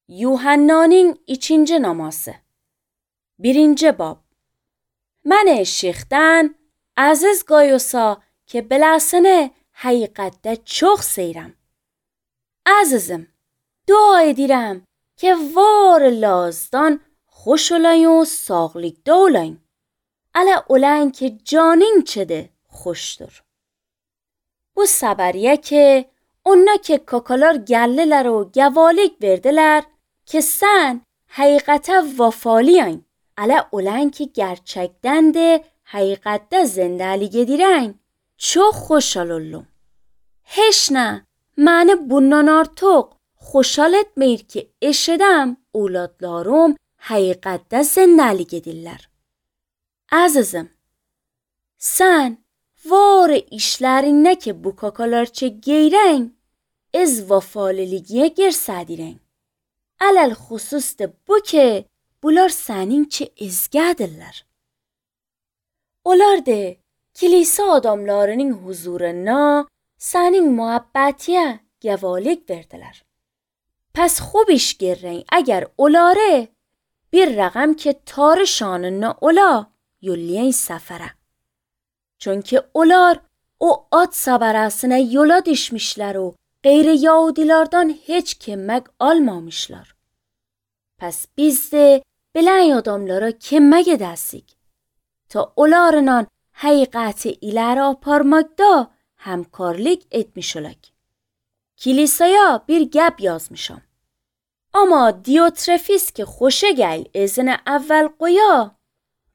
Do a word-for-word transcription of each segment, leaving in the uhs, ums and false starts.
Yuhanna'nın ikinci naması. Birinci bab. Mən eşiqdən əziz qoyusa ki, beləsini həqiqətdə çox seyirəm. Əzizim, dua edirəm ki, var lazdan xoş olayın و sağlıqda olayın. Ələ olan ki, canın çədi xoşdur. Bu səbəriyə ki, ona ki kakalar gəllilər و gəvalik verdilər ki, sən həqiqətə vəfalıyın. Ələ olan ki, gerçəkdən də həqiqətdə zindəlik edirən. Çox xoşal oldum. Heç nə, məni bundan artıq xoşal etmir ki, eşidəm evladlarım həqiqətdə zindəlik edirlər. Əzizim, sən var işlərinə ki, bu kakalarça geyrən, ez vəfaliligiyə göstədirən. Ələl xüsus da bu ki, bunlar səninki ezgədirlər. Onlar da kilise adamlarının huzuruna sənin muhabbetiyə gəvalik verdiler. Pəs خوب iş görən əgər onları bir rəqəm ki tarı şanına ola yollayın səfərə. Çünki onlar o ad səbərəsinə yola düşmüşlər و غیر yahudilərdən heç kömək almamışlar. Pəs biz də bilən adamlara kömək edəsik ta onlarla həqiqəti iləri aparmaqda həmkarlik etmiş olaq. Kilisaya bir gəb yazmışam. Amma Diotrefis ki xoşa gəl izini əvvəl qoya,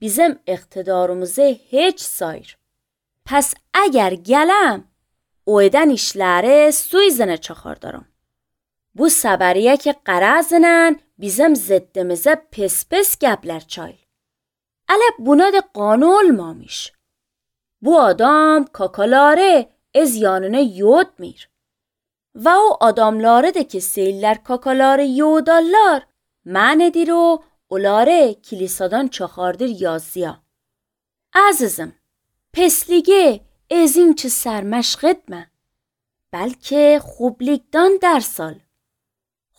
bizim iqtidarımızı heç sayır. Pəs əgər gələm, o edən işləri su izine çakardarım. Bu səbəriyə ki qarazının bizim ziddimizə pes pes gəblər çayl. Ələ buna da qanun olmamış. Bu adam kakaları ez yanına yodmir. Və o adamları da ki seyirlər kakaları yodarlar, mən edir o onları kilisadan çakardır yazıya. Əzizim, pesliği ezin ki sərməşq etmə. Bəlkə xublikdən dərs al.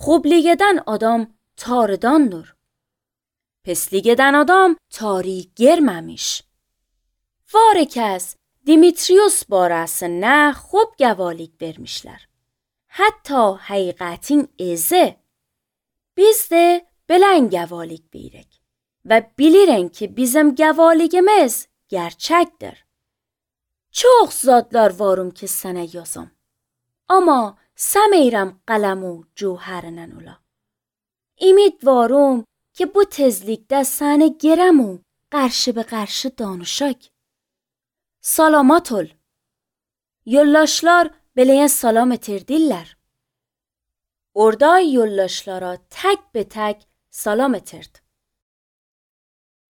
Xublik adam tarıdandır. Peslik edən adam tarih görməmiş. Var kəs Dimitrios barəsində خوب gəvalik vermişlər. Hətta həqiqətin ezi. Biz də bilən gəvalik veririk. Və bilirən ki bizim gəvaligimiz gerçəkdir. Çox zadlar varım ki sənə yazam. Amma səməyirəm qələm و cوهرنən ola. Ümidvarım ki bu tezlikdə səni gerəm و qarşı be qarşı danışak. Salamat ol. Yoldaşlar beleye salam etirdirlər. Orada yoldaşlara tək be tək salam etirdi.